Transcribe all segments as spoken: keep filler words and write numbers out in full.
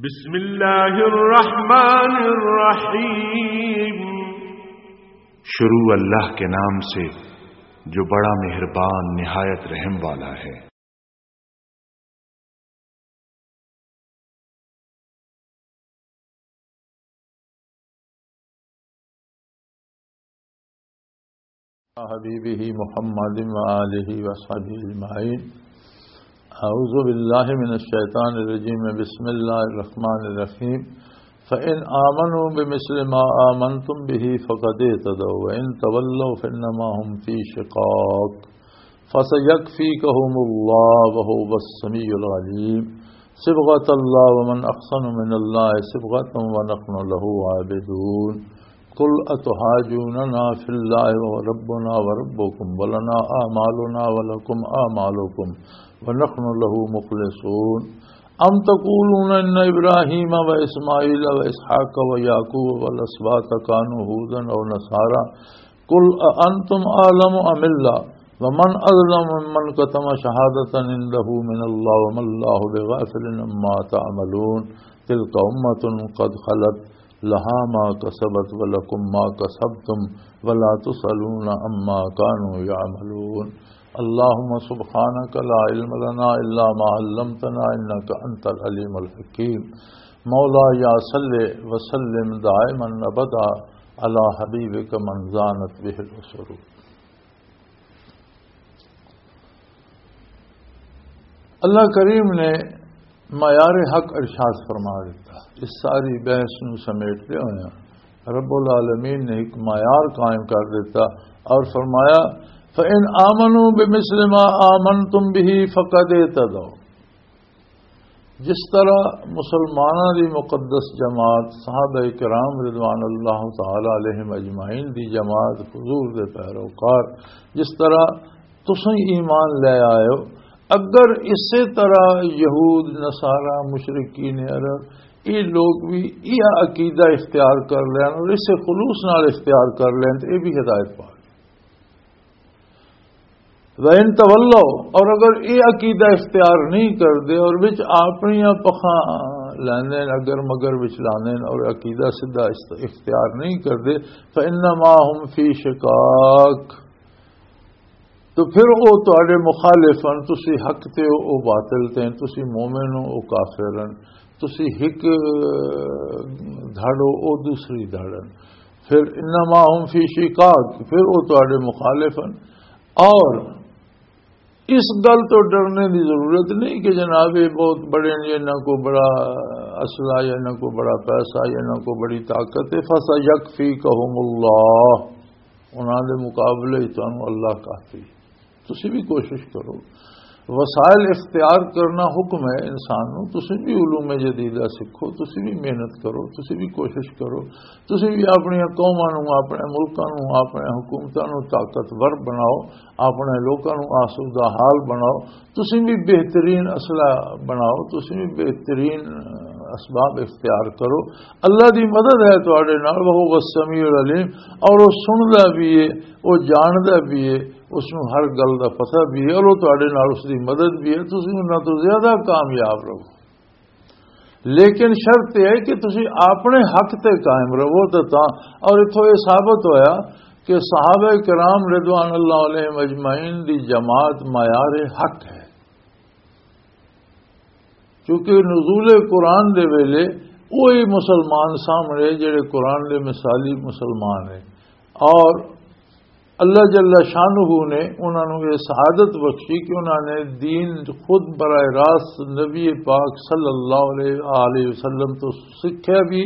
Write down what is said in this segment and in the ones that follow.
بسم اللہ الرحمن الرحیم۔ شروع اللہ کے نام سے جو بڑا مہربان نہایت رحم والا ہے۔ حبیبہ محمد و آلہ و صحبہ اجمعین۔ اعوذ باللہ من الشیطان الرجیم۔ بسم اللہ الرحمن الرحیم۔ فإن آمنوا بمثل ما آمنتم به فقد اهتدوا وإن تولوا فإنما هم في شقاق فسيكفيكهم الله وهو السميع العليم۔ صبغة الله ومن أحسن من الله صبغة ونحن له عابدون۔ قل أتحاجوننا في الله وهو ربنا وربكم ولنا أعمالنا ولكم أعمالكم ونحن له مخلصون۔ أم تقولون إن إبراهيم وإسماعيل وإسحاق ويعقوب والأسباط كانوا هودا أو نصارى؟ قل أأنتم أعلم أم الله؟ ومن أظلم ممن كتم شهادة عنده من الله وما الله بغافل عما تعملون۔ تلك أمة قد خلت لها ما كسبت ولكم ما كسبتم ولا تسألون عما كانوا يعملون۔ اللهم سبحانك لا علم لنا إلا ما علمتنا إنك أنت العليم الحكيم۔ مولاي صل وسلم دائما أبدا على حبيبك من زانت به العصور۔ اللہ کریم نے معیار حق ارشاد فرما دیتا۔ اس ساری بحث نو سمیٹتے ہوئے رب العالمین نے ایک معیار قائم کر دیتا اور فرمایا، فَإِنْ آمَنُوا بِمِثْلِ مَا آمَنْتُمْ بِهِ فَقَدْ اهْتَدَوْا۔ جس طرح مسلماناں دی مقدس جماعت، صحابہ کرام رضوان اللہ تعالی علیہم اجمعین دی جماعت، حضور دے پیروکار، جس طرح تسیں ایمان لے آئے ہو، اگر اسی طرح یہود، نصارہ، مشرکین عرب، یہ لوگ بھی یہ عقیدہ اختیار کر لین اور اسے خلوص نال اختیار کر لین تو یہ بھی ہدایت پا گئے۔ وَإِن تَوَلَّوْا، اور اگر یہ عقیدہ اختیار نہیں کردے اور وچ اپنیاں پکھاں لیندے نے، اگر مگر وچ لاندے نے اور عقیدہ سیدھا است-، اختیار نہیں کردے، فَإِنَّمَا هُمْ فِي شِقَاقٍ، تو پھر او تہاڈے مخالف ہن، تسی حق تے ہو، او باطل تے ہن، تسی مومن ہو، او کافر ہن، تسی ہک دھڑ ہو، او دوسری دھڑ ہن۔ پھر انما هم فی شقاق، پھر او تہاڈے مخالف ہن۔ اور اس گل تو ڈرنے دی ضرورت نہیں کہ جناب یہ بہت بڑے ہیں، انہاں کو بڑا اسلحہ یا انہاں کو بڑا پیسہ یا انہاں کو بڑی طاقت ہے۔ فَسَيَكْفِيكَهُمُ اللَّهُ، انہاں دے مقابلے وچ تانوں اللہ کافی۔ تسی بھی کوشش کرو، وسائل اختیار کرنا حکم ہے انسان نو۔ تسی بھی علوم جدیدہ سکھو، تسی بھی محنت کرو، تسی بھی کوشش کرو، تسی بھی اپنی قوماں نو، اپنے ملکاں نو، اپنے حکومتاں نو طاقتور بناؤ، اپنے لوکاں نو آسودہ حال بناؤ، تسی بھی بہترین اسلحہ بناؤ، تسی بھی بہترین اسباب اختیار کرو۔ اللہ دی مدد ہے تواڈے نال، وہو السمیع العلیم، اور وہ سندا بھی ہے، وہ جاندا بھی ہے، اس نو ہر گل دا پتہ بھی ہے، اور وہ تواڈے نال اس دی مدد بھی ہے۔ تسی انہاں تو زیادہ کامیاب رہو، لیکن شرط یہ ہے کہ تسی اپنے حق تے قائم رہو۔ تے تاں، اور اتھوں یہ ثابت ہویا کہ صحابہ کرام رضوان اللہ علیہم اجمعین دی جماعت معیار حق ہے، کیونکہ نزول قرآن دے ویلے وہی مسلمان سامنے جڑے قرآن دے مثالی مسلمان ہیں، اور اللہ جل شانہ نے انہاں نوں یہ سعادت بخشی کہ انہاں نے دین خود براہ راست نبی پاک صلی اللہ علیہ وآلہ وسلم تو سیکھیا بھی،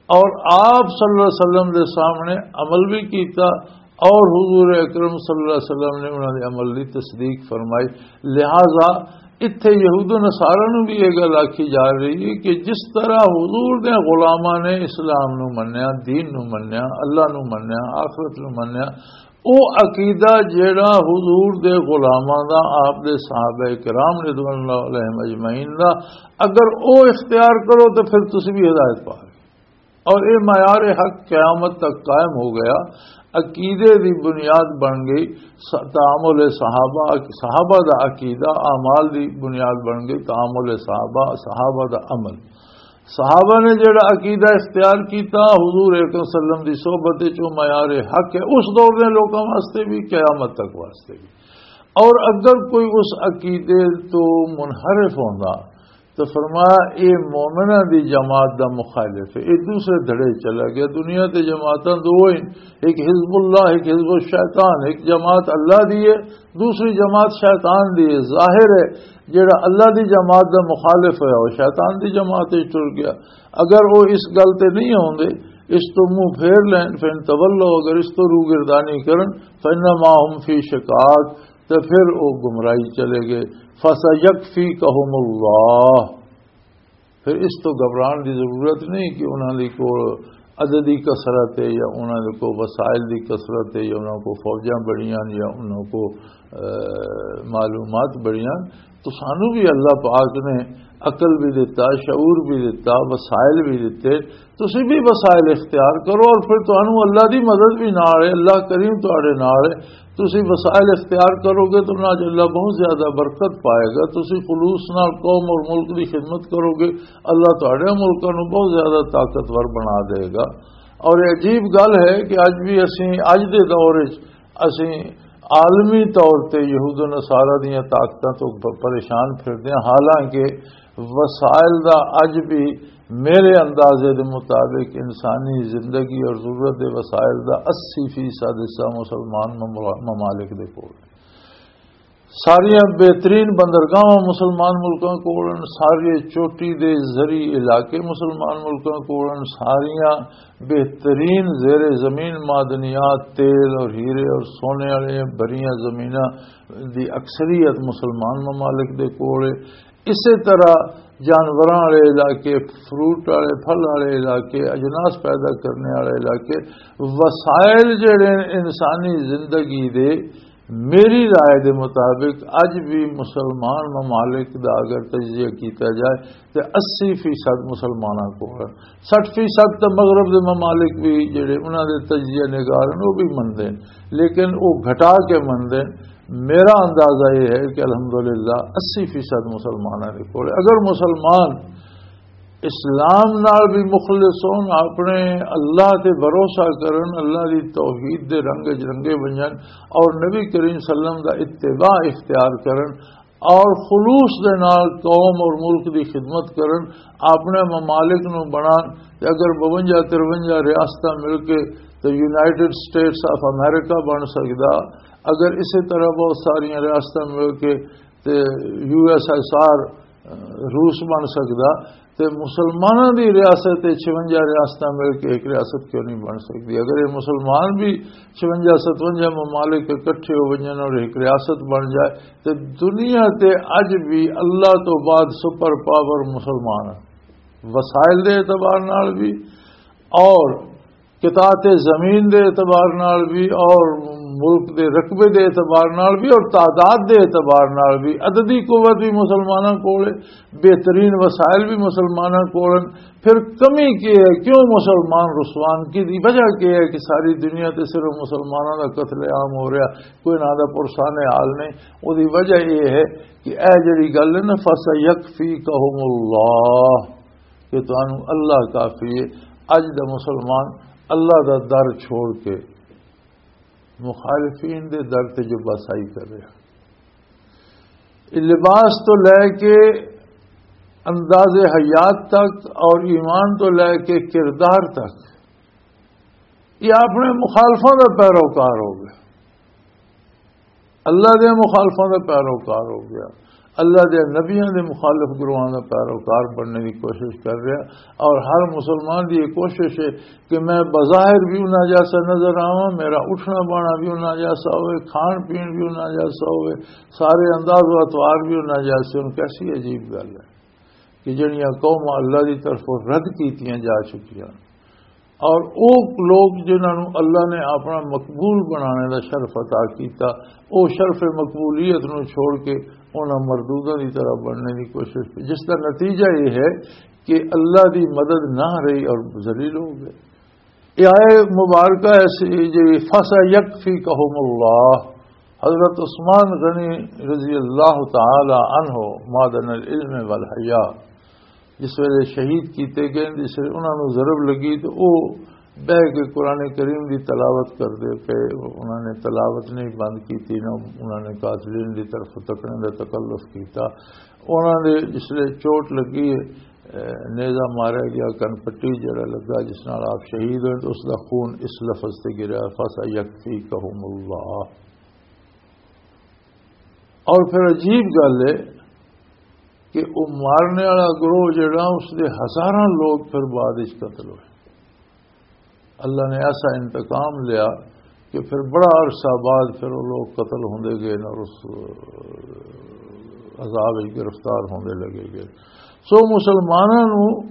اور آپ صلی اللہ علیہ وسلم دے سامنے عمل بھی کیتا، اور حضور اکرم صلی اللہ علیہ وسلم نے انہاں دے عمل دی تصدیق فرمائی۔ لہذا اتھے یہود و نصارہ نوں بھی یہ گل آکھی جا رہی ہے کہ جس طرح حضور دے غلاماں نے اسلام نوں منیا، دین نوں منیا، اللہ نوں منیا، آخرت نوں منیا، او عقیدہ جیڑا حضور دے غلاماں دا، آپ دے صحابہ کرام رضوان اللہ علیہم اجمعین دا، اگر او اختیار کرو تو پھر تسی بھی ہدایت پا گئے۔ اور یہ معیار حق قیامت تک قائم ہو گیا، عقیدے دی بنیاد بن گئی، س-، تعامل صحابہ، صحابہ دا عقیدہ اعمال دی بنیاد بن گئی، تعامل صحابہ، صحابہ دا عمل۔ صحابہ نے جڑا عقیدہ اختیار کیتا حضور اکرم صلی اللہ علیہ وسلم دی صحبت وچ، او معیار حق ہے اس دور دے لوکاں واسطے بھی، قیامت تک واسطے بھی۔ اور اگر کوئی اس عقیدے تو منحرف ہوندا تو فرمایا، اے مومناں دی جماعت دا مخالف ہے، اے دوسرے دھڑے چلا گیا۔ دنیا تے جماعتاں دو ہیں، ایک حزب اللہ، ایک حزب الشیطان۔ ایک جماعت اللہ دی ہے، دوسری جماعت شیطان دی ہے۔ ظاہر ہے جڑا اللہ دی جماعت دا مخالف ہے، وہ شیطان دی جماعت وچ ٹر گیا۔ اگر وہ اس گل تے نہیں ہوندے، اس تو منہ پھیر لین، فَإِن تَوَلَّوْا، اگر اس تو روگردانی کرن، فَإِنَّمَا هُمْ فِي شِقَاقٍ، تے پھر وہ گمراہی چلے گئے۔ فَسَيَكْفِيكَهُمُ اللَّهُ، پھر اس تو گھبران دی ضرورت نہیں کہ انہاں دی کول عددی کثرت ہے یا انہاں دے کول وسائل دی کثرت ہے یا انہاں کول فوجاں بڑیاں یا انہاں کول، اے، معلومات بڑیاں۔ تو سانو بھی اللہ پاک نے عقل بھی دتا، شعور بھی دتا، وسائل بھی دتے۔ تسی بھی وسائل اختیار کرو اور پھر تانوں اللہ دی مدد بھی نال ہے، اللہ کریم تہاڈے نال ہے۔ تسی وسائل اختیار کرو گے تو نہ اللہ بہت زیادہ برکت پائے گا۔ تسی خلوص نال قوم اور ملک دی خدمت کرو گے، اللہ تہاڈے ملکاں نوں بہت زیادہ طاقتور بنا دے گا۔ اور یہ عجیب گل ہے کہ اج بھی اسی، اج دے دور وچ اسی عالمی طور تے یہود و نصارہ دیاں طاقتاں تو پ-، پریشان پھردے ہاں، حالانکہ وسائل دا اج بھی میرے اندازے دے مطابق انسانی زندگی اور ضرورت دے وسائل دا اسی فیصد حصہ مسلمان مملا-، ممالک دے کول۔ ساریاں بہترین بندرگاہاں مسلمان ملکاں کول ہن، سارے چوٹی دے زرعی علاقے مسلمان ملکاں کول ہن، ساریاں بہترین زیر زمین معدنیات، تیل اور ہیرے اور سونے والے بریاں زمیناں دی اکثریت مسلمان ممالک دے کول ہے۔ اسی طرح جانوراں والے علاقے، فروٹ والے، پھل والے علاقے، اجناس پیدا کرنے والے علاقے، وسائل جڑے انسانی زندگی دے، میری رائے دے مطابق اج بھی مسلمان ممالک دا اگر تجزیہ کیتا جائے تے اسی فیصد مسلماناں کول ہن۔ سٹھ فیصد تے مغرب دے ممالک بھی جڑے انہاں دے تجزیہ نگار ہن، وہ بھی مندے ہن، لیکن وہ گھٹا کے مندے ہن۔ میرا اندازہ یہ ہے کہ الحمدللہ اسی فیصد مسلماناں دے کول۔ اگر مسلمان اسلام نال بھی مخلص ہون، اپنے اللہ تے بھروسہ کرن، اللہ دی توحید دے رنگ وچ رنگے ونجن اور نبی کریم صلی اللہ علیہ وسلم دا اتباع اختیار کرن اور خلوص دے نال قوم اور ملک دی خدمت کرن، اپنے ممالک نو بنان۔ تے اگر بونجا ترونجا ریاستاں مل کے تے یونائیٹڈ سٹیٹس آف امریکہ بن سکدا، اگر اسی طرح بہت ساریاں ریاستاں مل کے تے یو ایس ایس آر روس بن سکدا، تے مسلماناں دی ریاست تے چھونجا ریاستاں مل کے ایک ریاست کیوں نہیں بن سکدی؟ اگر یہ مسلمان بھی چھونجا ستونجا ممالک اکٹھے ہو ونجن اور ایک ریاست بن جائے، تے دنیا تے اج بھی اللہ تو بعد سپر پاور مسلمان ہیں، وسائل دے اعتبار نال بھی اور قطاعت زمین دے اعتبار نال بھی اور ملک دے رقبے دے اعتبار نال بھی اور تعداد دے اعتبار نال بھی، عددی قوت بھی مسلماناں کول ہے، بہترین وسائل بھی مسلماناں کول ہیں۔ پھر کمی کی ہے؟ کیوں مسلمان رسوان کی دی وجہ کی ہے کہ ساری دنیا تے صرف مسلماناں دا قتل عام ہو رہا، کوئی نہ دا پرسان حال نہیں؟ او دی وجہ یہ ہے کہ اے جڑی گل ہے نا، فَسَيَكْفِيكَهُمُ اللَّهُ، کہ تانوں اللہ کافی ہے۔ اج دا مسلمان اللہ دا در چھوڑ کے مخالفین دے در تے جو بسائی کر رہا۔ یہ لباس تو لے کے انداز حیات تک اور ایمان تو لے کے کردار تک، یہ اپنے مخالفوں کا پیروکار ہو گیا۔ اللہ دے مخالفاں دا پیروکار ہو گیا، اللہ دے نبیاں دے مخالف گروہاں دا پیروکار بننے دی کوشش کر رہا۔ اور ہر مسلمان دی یہ کوشش ہے کہ میں بظاہر بھی انہاں جیسا نظر آواں، میرا اٹھنا بانا بھی انہاں جیسا ہوئے، کھان پین بھی انہاں جیسا ہوئے، سارے انداز و اطوار بھی انہاں جیسے ہون۔ کیسی عجیب گل ہے کہ جڑیاں قوماں اللہ دی طرفوں رد کیتیاں جا چکیاں، اور او لوگ جنہاں نوں اللہ نے اپنا مقبول بنانے دا شرف عطا کیتا، او شرف مقبولیت نوں چھوڑ کے انہاں مردوداں دی طرح بننے دی کوشش کی، جس دا نتیجہ یہ ہے کہ اللہ دی مدد نہ رہی اور ذلیل ہو گئے۔ یہ آئے مبارکہ ایسی جی، فَسَيَكْفِيكَهُمُ اللَّهُ۔ حضرت عثمان غنی رضی اللہ تعالی عنہ، معدن العلم والحیا، جس ویلے شہید کیتے گئے، جس ویلے انہاں نوں ضرب لگی، تے او بہ کے قرآن کریم دی تلاوت کردے پئے۔ انہاں نے تلاوت نہیں بند کیتی، نہ انہاں نے قاتلین دی طرف تکنے دا تکلف کیتا۔ انہاں دے جس ویلے چوٹ لگی، اے، نیزہ ماریا گیا، کن پٹی جڑا لگا، جس نال آپ شہید ہوئے، تو اس دا خون اس لفظ تے گریا، "فَسَيَكْفِيكَهُمُ اللَّهُ۔" اور پھر عجیب گل ہے کہ وہ مارنے والا گروہ جڑا، اس دے ہزاراں لوگ پھر بعد وچ قتل ہوئے۔ اللہ نے ایسا انتقام لیا کہ پھر بڑا عرصہ بعد پھر وہ لوگ قتل ہوندے گئے اور اس عذاب وچ گرفتار ہوندے لگے گئے۔ سو مسلماناں نوں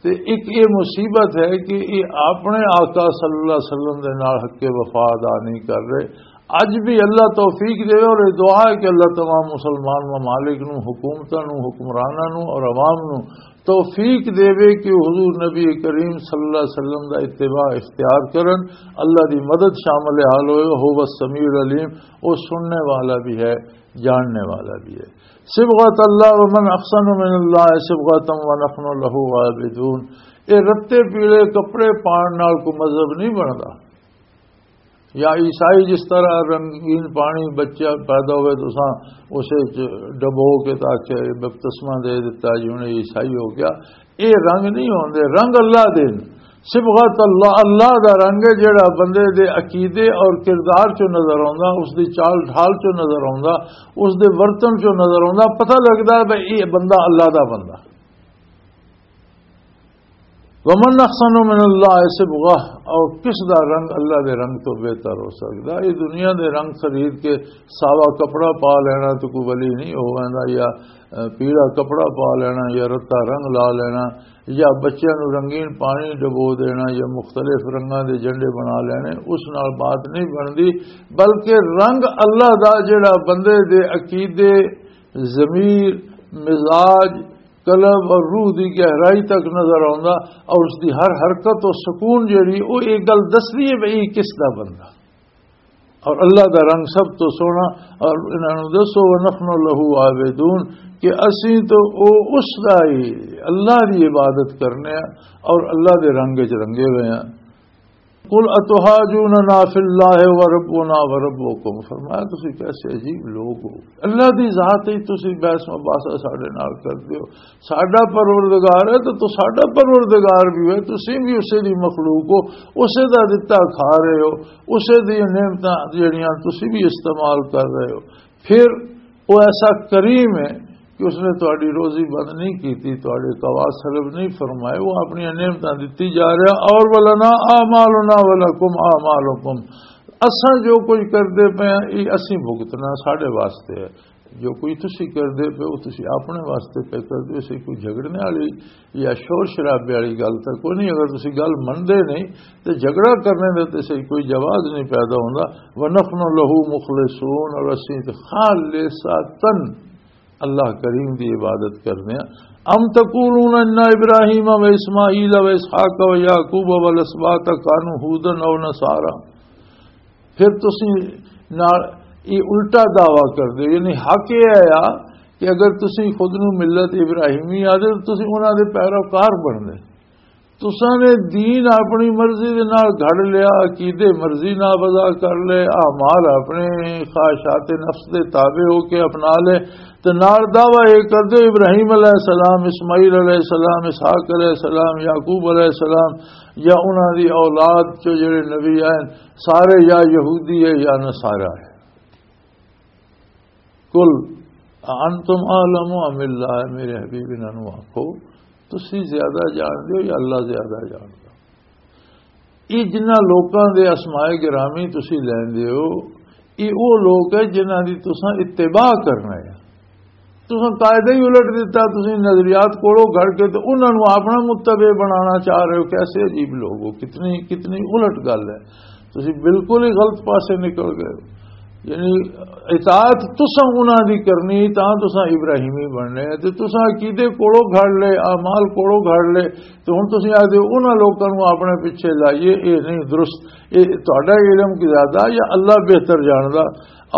تے ایک یہ مصیبت ہے کہ یہ اپنے آقا صلی اللہ علیہ وسلم دے نال حق وفا ادا نہیں کر رہے۔ اج بھی اللہ توفیق دے، اور یہ دعا ہے کہ اللہ تمام مسلمان ممالک نو، حکومتاں نو، حکمراناں نو اور عوام نو توفیق دے کہ وہ حضور نبی کریم صلی اللہ علیہ وسلم دا اتباع اختیار کرن، اللہ دی مدد شامل حال ہوئے، هو السمیع العلیم، وہ سننے والا بھی ہے، جاننے والا بھی ہے۔ صبغت اللہ، ومن احسن من اللہ صبغتا ونحن له عابدون۔ یہ رتے پیلے کپڑے پان نال کوئی مذہب نہیں بندا۔ یا عیسائی جس طرح رنگین پانی بچہ پیدا ہوئے تو اساں اسے چ ڈبو کے تاکہ بپتسمہ دے دیتا جی انہیں عیسائی ہو گیا۔ یہ رنگ نہیں ہوندے، رنگ اللہ دے نے۔ صبغت اللہ، اللہ دا رنگ ہے جڑا بندے دے عقیدے اور کردار چوں نظر آوندا، اس دی چال ڈھال چوں نظر آوندا، اس دے ورتن چوں نظر آوندا، پتہ لگدا ہے بھئی یہ بندہ اللہ دا بندہ۔ ومن احسن من اللہ صبغہ، اور کس دا رنگ اللہ دے رنگ تو بہتر ہو سکدا؟ یہ دنیا دے رنگ خرید کے ساوا کپڑا پا لینا تو کوئی ولی نہیں ہو ویندا، یا، اے، پیلا کپڑا پا لینا، یا رتا رنگ لا لینا، یا بچیاں نوں رنگین پانی ڈبو دینا، یا مختلف رنگاں دے جنڈے بنا لینے، اس نال بات نہیں بندی۔ بلکہ رنگ اللہ دا جڑا بندے دے عقیدے، ضمیر، مزاج، قلب اور روح دی گہرائی تک نظر آوندا، اور اس دی ہر حرکت و سکون جڑی، او ایک گل دسدی ہے بھئی کس دا بندہ۔ اور اللہ دا رنگ سب تو سونا۔ اور انہاں نوں دسو، "ونحن لہ عابدون"، کہ اسی تو او اس دا ہی، اللہ دی عبادت کرنے ہیں اور اللہ دے رنگ وچ رنگے ہوئے ہیں۔ "قل اتحاجوننا فی اللہ وربنا وربکم"، فرمایا، "تسی کیسے عجیب لوگ ہو، اللہ دی ذات ہی تسی بحث مباحثہ ساڈے نال کردے ہو۔ ساڈا پروردگار ہے تو، تو ساڈا پروردگار بھی ہے، تسی بھی اسے دی مخلوق ہو، اسے دا دتا کھا رہے ہو، اسے دی نعمتاں جڑیاں تسی بھی استعمال کر رہے ہو۔ پھر وہ ایسا کریم ہے کہ اس نے تہاڈی روزی بند نہیں کیتی، تہاڈے قوات سلب نہیں فرمائے، وہ اپنی نعمتاں دتی جا رہا۔ اور ولنا اعمالنا ولکم اعمالکم، اساں جو کچھ کردے پئے ہاں، یہ اسی بھگتنا، ساڈے واسطے ہے۔ جو کچھ تسی کردے پئے ہو، تسی اپنے واسطے پہ کردے ہو، اسی کوئی جھگڑنے والی یا شور شرابے والی گل تک کوئی نہیں۔ اگر تسی گل مندے نہیں تے جھگڑا کرنے دا تے صحیح کوئی جواز نہیں پیدا ہوندا۔ ونحن لہ مخلصون، اور اسی تے خالصتاً اللہ کریم دی عبادت کرنے ہاں۔ ام تقولون ان ابراہیم و اسماعیل و اسحاق و یعقوب و الاسباط کانوا ہودن او نصارا۔ پھر تسی نال یہ الٹا دعویٰ کردے ہو، یعنی حق یہ ہے کہ اگر تسی خود نو ملت ابراہیمی آدے تو تسی انہاں دے پیروکار بندے۔ تساں نے دین اپنی مرضی دے نال گھڑ لیا، عقیدے مرضی نال وضع کر لے، اعمال اپنے خواہشات نفس دے تابع ہو کے اپنا لے، تے نال دعویٰ یہ کر دے ابراہیم علیہ السلام، اسماعیل علیہ السلام، اسحاق علیہ السلام، یعقوب علیہ السلام، یا انہاں دی اولاد چو جڑے نبی آئے، سارے یا یہودی ہے یا نصارا ہے۔ قل انتم اعلم ام اللہ، میرے حبیب انہاں نوں آکھو، تسی زیادہ جان دے ہو یا اللہ زیادہ جان دے؟ یہ جنہاں لوکاں دے اسماء گرامی تسی لیندے ہو، یہ وہ لوگ ہے جنہاں دی تساں اتباع کرنا ہے۔ تساں قاعدہ ہی الٹ دیتا، تساں نظریات کوڑوں گھڑ کے تے انہاں نوں اپنا متبع بنانا چاہ رہے ہو۔ کیسے عجیب لوگ ہو، کتنی، کتنی الٹ گل ہے۔ تساں بالکل ہی غلط پاسے نکل گئے ہو۔ یعنی اطاعت تساں انہاں دی کرنی، تاں تساں ابراہیمی بننے، تے تساں عقیدے کوڑوں گھڑ لے، اعمال کوڑوں گھڑ لے، تے ہن تساں آ دے انہاں لوکاں نوں اپنے پیچھے لائیے، اے نہیں درست۔ اے تہاڈا علم کی زیادہ یا اللہ بہتر جاندا؟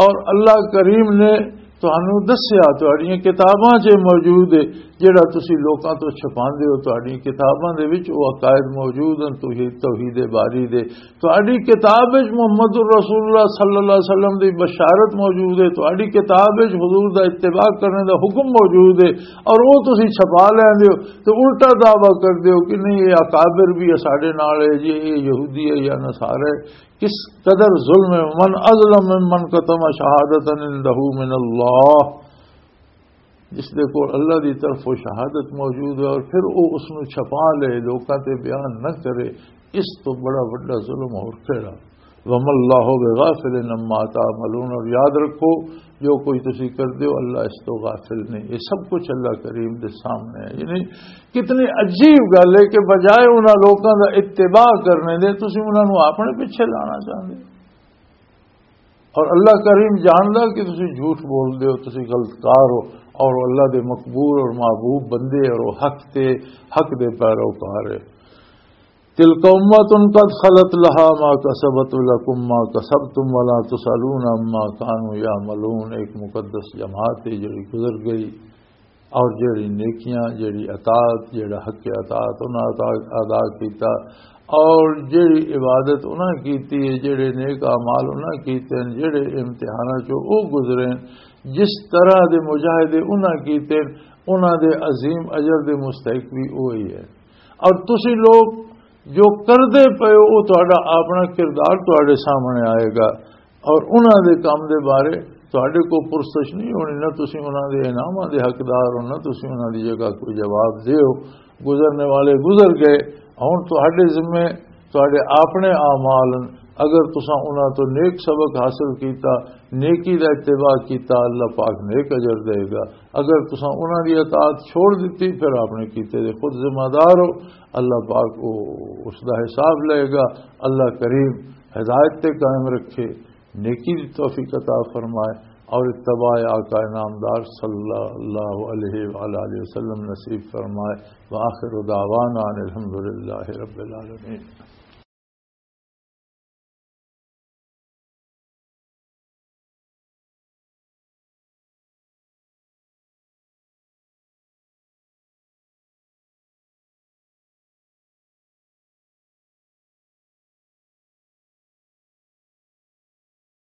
اور اللہ کریم نے تانوں دسیا، تہاڈیاں کتاباں 'چ موجود ہے جڑا تسی لوکاں تو چھپاندے ہو، تہاڈی کتاباں دے وچ او عقائد موجود ہن، توحید، توحید باری دے۔ تہاڈی کتاب وچ محمد رسول اللہ صلی اللہ علیہ وسلم دی بشارت موجود ہے، تہاڈی کتاب وچ حضور دا اتباع کرنے دا حکم موجود ہے، اور او تسی چھپا لیندے ہو تے الٹا دعویٰ کردے ہو کہ نہیں، یہ اکابر بھی ساڈے نال ہے جی، یہ یہودی ہے یا نصارہ ہے۔ کس قدر ظلم ہے۔ من اظلم ممن کتم شہادتا عندہ من اللہ، جس دے کول اللہ دی طرف وہ شہادت موجود ہے اور پھر وہ اس نو چھپا لے، لوکاں تے بیان نہ کرے، اس تو بڑا وڈا ظلم اور کیڑا؟ وما اللہ بغافل عما تعملون، اور یاد رکھو، جو کوئی تسی کر دیو، اللہ اس تو غافل نہیں۔ یہ سب کچھ اللہ کریم دے سامنے ہے۔ یعنی کتنی عجیب گل ہے کہ بجائے انہاں لوکاں دا اتباع کرنے دے، تسی انہاں نو اپنے پیچھے لانا چاہندے ہو۔ اور اللہ کریم جاندا کہ تسی جھوٹ بول دے ہو، تسی غلط کار ہو، اور اللہ دے مقبول اور محبوب بندے اور وہ حق تے، حق دے پیروکار ہے۔ تلک امۃ قد خلت لہا ما کسبت ولکم ما کسبتم ولا تسألون عما کانوا یعملون۔ ایک مقدس جماعت ہے جڑی گزر گئی، اور جڑی نیکیاں، جڑی اطاعت، جڑا حق اطاعت انہاں ادا، ادا کیتا، اور جڑی عبادت انہاں کیتی ہے، جڑے نیک اعمال انہاں کیتے ہیں، جڑے امتحاناں چوں او گزرے ہیں، جس طرح دے مجاہدے انہاں کیتے ہیں، انہاں دے عظیم اجر دے مستحق بھی وہی ہے۔ اور تسی لوگ جو کردے پئے ہو، وہ تہاڈا اپنا کردار تہاڈے سامنے آئے گا، اور انہاں دے کام دے بارے تہاڈے کو پرسش نہیں ہونی، نہ تسی انہاں دے انعاماں دے حقدار ہو، نہ تسی انہاں دی جگہ کوئی جواب دیو۔ گزرنے والے گزر گئے، ہن تہاڈے ذمے تہاڈے اپنے اعمال ہن۔ اگر تساں انہاں تو نیک سبق حاصل کیتا، نیکی دا اتباع کیتا، اللہ پاک نیک اجر دے گا۔ اگر تساں انہاں دی اطاعت چھوڑ دتی، پھر اپنے کیتے دے خود ذمہ دار ہو۔ اللہ پاک او، اس دا حساب لے گا۔ اللہ کریم ہدایت تے قائم رکھے، نیکی دی توفیق عطا فرمائے، اور اتباع آقا نامدار صلی اللہ علیہ وآلہ وسلم نصیب فرمائے۔ وآخر دعوانا ان الحمدللہ رب العالمین۔